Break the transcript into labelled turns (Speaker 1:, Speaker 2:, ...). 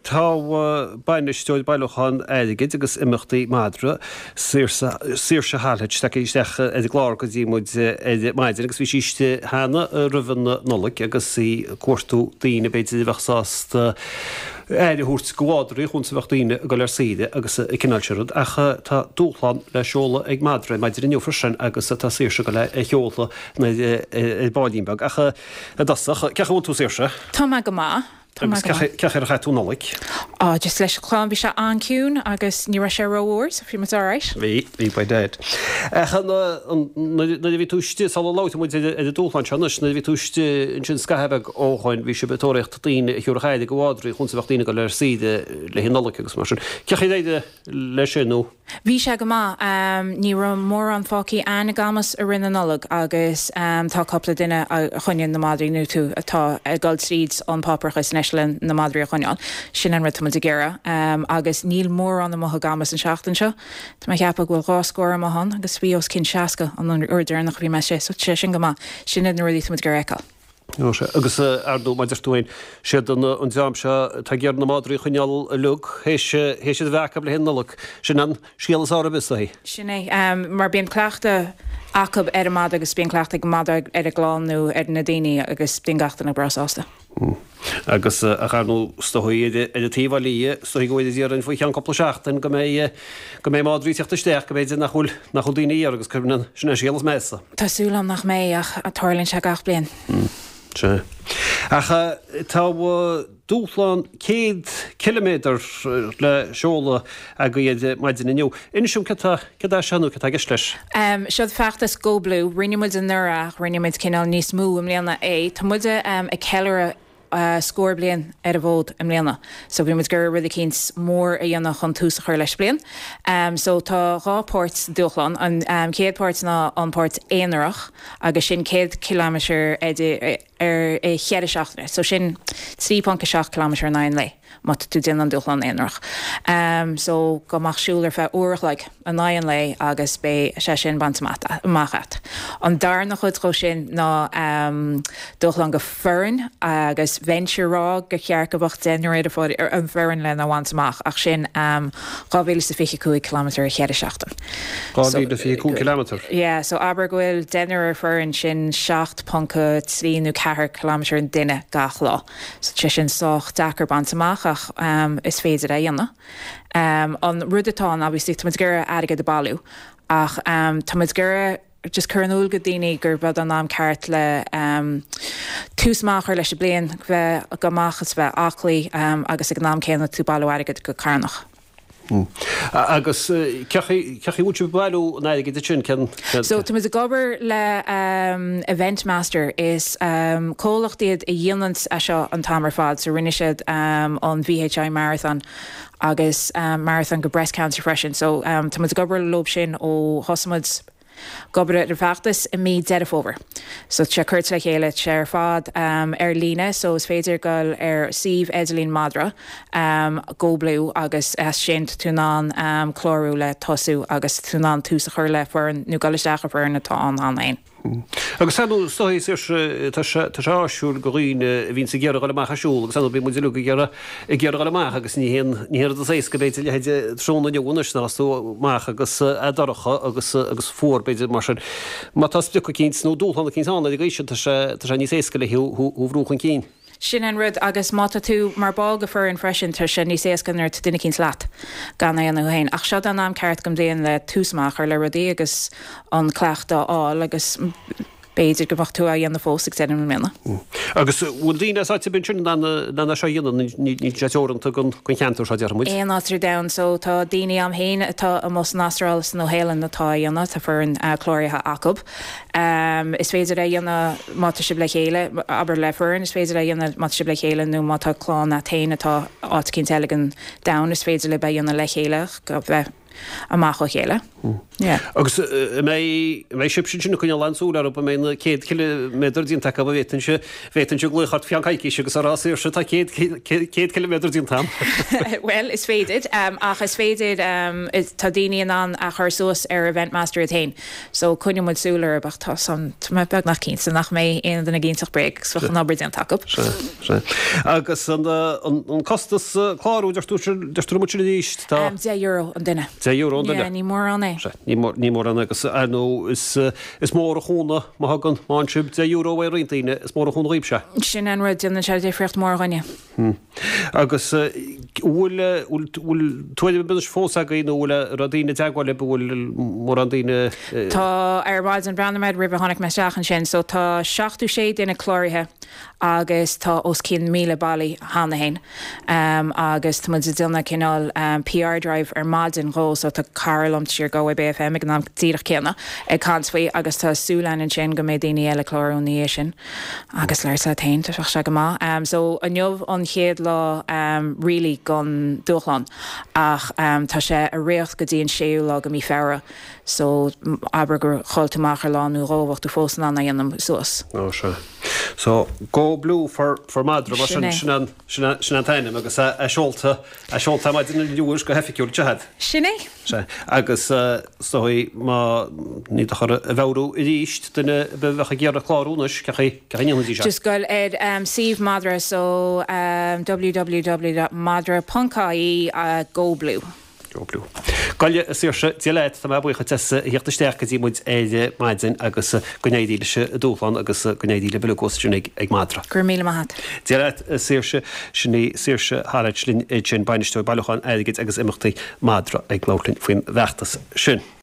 Speaker 1: Tá bainisteoir bailiúchán airgid agus imeachtaí Madra, Saoirse Halhett, tagtha isteach ar an gclár go dtí muid ar maidin agus bhí sí istigh cheana roimh an Nollaig agus í ag cuartú daoine b'fhéidir a bheadh sásta aire a thabhairt go mhadraí chúns a bheadh daoine ag dul ar saoire agus an cineál sin rud. Ach tá dúshlán le seoladh ag Madra ar maidin inniu freisin agus tá Saoirse ag dul é a sheoladh ar baillín beag. Ach i dtosach, cén chaoi a bhfuil tú Saoirse?
Speaker 2: Tá mé go maith.
Speaker 1: Tá mé go maith. Agus cén chaoi ar chaith tú an Nollaig?
Speaker 2: Á, just leis an chlann, bhí sé an-ciúin agus ní raibh sé rófhuar so bhí muid alright.
Speaker 1: Bhí, bhí by dad. Ach nuair a bhí tú istigh, sula labhróidh muid ar an dúshlán seo anois, nuair a bhí tú istigh ansin scaitheamh beag ó shoin, bhí sibh ag tóraíocht daoine a thiúrfadh aire go mhadraí chúns a bheadh daoine ag dul ar saoire le haghaidh Nollag agus mar sin. Cén chaoi ar éirigh leis sin nó?
Speaker 2: Bhí sé go maith. Ní raibh mórán fágthaí a'ainn i gCamus i rith na Nollag agus tá cúpla duine a choinníonn na madraí nó tú atá ag dul tríd an páipéarachas anois le na madraí a choinneáil. Sin an rud tá muid ag iarraidh. Agus níl mórán amuigh i gCamus an seachtain seo. Tá mé ag ceapadh go bhfuil 2 scór amuigh ann agus bhí os cionn 60 an uair deireanach a bhí mé istigh so tá sé sin go maith. Sin iad na rudaí tá muid ag iarraidh a fheiceáil.
Speaker 1: Ó sea. Agus ar ndóigh, mar a deir tú féin, siad an dream seo atá ag iarraidh na madraí a choinneáil uilig, théis iad a bheith acu le haghaidh Nollag. Sin an scéal is fearr ar bith, is dóichí.
Speaker 2: Sin é. Mar bíonn cleachtadh acu ar an madra agus bíonn cleachtadh ag an madra ar an gclann nó ar na daoine agus bíonn gach duine breá sásta.
Speaker 1: Agus ach ar ndóigh, is dóichí ar an taobh eile dhe, is dóichí go bhfuil iad déarfainn faoi cheann cúpla seachtain go mbeidh go mbeidh madraí ag teacht isteach go mb'fhéidir nach bhfuil nach bhfuil daoine a iarraidh agus cuireann an sin an scéal is measa.
Speaker 2: Tá súil agam nach mbeidh ach tarlaíonn sé gach bliain.
Speaker 1: Sea. Ach tá dúshlán 100 ciliméadar le seoladh agaibh ar maidin inniu. Inis dom céard tá céard é seo nó céard tá i gceist leis?
Speaker 2: Seo feachtas Go Blue. Rinne muid anuraidh ach rinne muid cineál níos mó i mbliana é. Tá muid ag ceiliúradh scór bliain ar an bhfód i mbliana. So bhí muid ag iarraidh rud eicínt mór a dhéanamh chun tús a chur leis bliain. So tá 2 páirt sa dúshlán. An chéad páirt ná an páirt aonarach agus sin 100 ciliméadar ar i cheithre seachtaine. So sin 3.7 ciliméadar in aghaidh an lae má tá tú ag déanamh an dúshlán aonarach. So gabh amach siúl ar feadh uair a chloig in aghaidh an lae agus beidh sé sin bainte amach a't. An darna chuid dhó sin ná dúshlán go foireann agus bheinnse ag rá gur cheart go mbeadh deichniúr ar an bhfoireann lena bhaint amach ach sin 2025 kilometre i cheithre seachtain.
Speaker 1: 2025 kilometre?
Speaker 2: Yeah, so abair go bhfuil deichniúr ar foireann, sin 7.3 nó 4 kilometre an duine gach lá. So tá sé sin sách deacair baint amach ach is féidir é a dhéanamh. An rud atá ann obviously tá muid ag iarraidh airgead a bailiú ach tá muid ag iarraidh just cur in iúl go daoine gurb é an am ceart le tús maith a chur leis an bliain, bheith go amach is bheith aclaí agus ag an am céanna tú bailiú airgead go carthanach.
Speaker 1: Agus cén chaoi a bhfuil sibh ag bailiú an airgid sin? Cén.
Speaker 2: So tá muid ag obair le Event Master, is comhlacht iad a dhéanann é seo an t-am ar fad, so rinne siad an VHI Marathon agus Marathon go Breast Cancer freisin, so tá muid ag obair leo sin ó thosaigh muid ag obair ar an bhfeachtas i mí Deireadh Fómhair. So tá sé curtha le chéile, tá sé ar fad ar líne so is féidir dul ar suíomh idirlín Madra, Go Blue agus as sin tá tú in ann clárú le tosú agus tá tú in ann tús a chur le foireann nó dul isteach i bhfoireann atá ann cheana féin.
Speaker 1: Agus ar ndóigh, is dóigh, Saoirse, tá sé, tá sé áisiúil go dhaoine a bhíonns ag iarraidh dhul amach ag siúl agus ar ndóigh bíonn muid uilig ag iarraidh, ag iarraidh dhul amach agus ní haon, ní haon rud is éasca b'fhéidir leithéid tráthnóna inniu anois nuair atá tú amach agus é dorcha agus, agus fuar b'fhéidir mar sin. Má tá sprioc eicínt nó dúshlán eicínt ann ar an gcaoi sin tá sé, tá sé níos éasca le thú, thú a bhrú chun cinn.
Speaker 2: Sin an rud agus má tá tú mar ball go foireann freisin tá sé níos éasca nuair atá duine eicínt leat gan é a dhéanamh thú féin. Ach seo an am ceart den bhliain le tús maith a chur le rudaí agus an cleachtadh a fháil agus b'fhéidir go mbeadh tú á dhéanamh fós ag deireadh na bliana.
Speaker 1: Agus bhfuil daoine as áit ar bith ansin in ann é seo a dhéanamh? Níl sé teoranta don cheantar seo déarfaidh muid.
Speaker 2: Aon áit ar domhan. So tá daoine a'm féin atá amuigh san Astráil is sa Nua-Shéalainn atá á dhéanamh, tá foireann cláraithe acu. Is féidir é a dhéanamh má tá sibh le chéile, abair le foireann, is féidir é a dhéanamh má tá sibh le chéile nó má tá clann a't féin atá áit eicínt eile den domhan, is féidir libh é a dhéanamh le chéile, bheith. amach ó chéile. Yeah.
Speaker 1: Agus an mbeidh, an mbeidh sibhse ansin ag coinneáil an-súil orthu, an mbeidh na 100 ciliméadar déanta acu, an bhféadfainnse, bhféadfainnse glaoch ort faoi cheann coicíse agus a rá Saoirse tá 100, 100 ciliméadar déanta agam.
Speaker 2: Bhuel, is féidir, ach is féidir, tá daoine in ann a chur suas ar Event Master iad féin. So coinneoidh muid súil orthu ach tá san, tá mé beagnach cinnte nach mbeidh aon duine ag inseacht bréag agus bheadh an obair déanta acu.
Speaker 1: Sea, sea. Agus an, an costas clárú, deir tú, deir tú liom ansin arís,
Speaker 2: tá. €10 an duine.
Speaker 1: €10 an duine.
Speaker 2: Yeah, ní mórán é.
Speaker 1: Sea, ní mór, ní mórán é agus ar ndóigh is, is mór an chúnamh má thugann, má fhaigheann sibh €10 uaidh roinnt daoine, is mór an chúnamh dhaoibhse.
Speaker 2: Sin an rud, déanann sé difríocht mór dhúinne.
Speaker 1: Agus bhfuil, bhfuil tuairim ar bith anois fós agaibh nó bhfuil, an raibh daoine i dteagmháil libh, an bhfuil mórán daoine?
Speaker 2: Tá, ar maidin bhreathnaigh mé roimh a tháinig mé isteach ansin, so tá 76 duine cláraithe agus tá os cionn 1,000 bailithe cheana féin. Agus tá muid ag déanamh cineál PR drive ar maidin dhó so tá cara liom siar ag Galway Bay FM ag an am díreach céanna ag caint faoi agus tá súil againn ansin go mbeidh daoine eile ag clárú ina dhiaidh sin. Agus labhairt leat féin, tá sé go maith. So inniu an chéad lá really den dúshlán ach tá sé ag rith go dtí an séú lá de mí Feabhra so abair gur chaill tú amach ar lá nó dhó bheadh tú fós in ann é a dhéanamh suas.
Speaker 1: Ó sea. So Go Blue for for Madra mar sin, sin an sin an t-ainm agus é seolta é seolta ar maidin inniu go hoifigiúil, sea?
Speaker 2: Sin é.
Speaker 1: Sea, agus is dóigh má, ní dochar a mheabhrú arís, duine ar bith a bheadh ag iarraidh clárú anois, cén chaoi, cén chaoi a ndéanfaidís
Speaker 2: é? Just goil ar suíomh Madra, so www.madra.ie go blue.
Speaker 1: Go blue. Gabh i leith, a Saoirse, Dia leat, tá mé buíoch duit as a theacht isteach go dtí muid ar maidin agus go n-éirí leis an dúshlán agus go n-éirí libh uilig thuas ansin ag Madra.
Speaker 2: Go raibh míle maith agat.
Speaker 1: Dia leat, a Saoirse, sin í Saoirse Hallett linn ansin, Bainisteoir Bailiúcháin Airgid agus Imeachtaí Madra ag labhairt linn faoin bhfeachtas sin.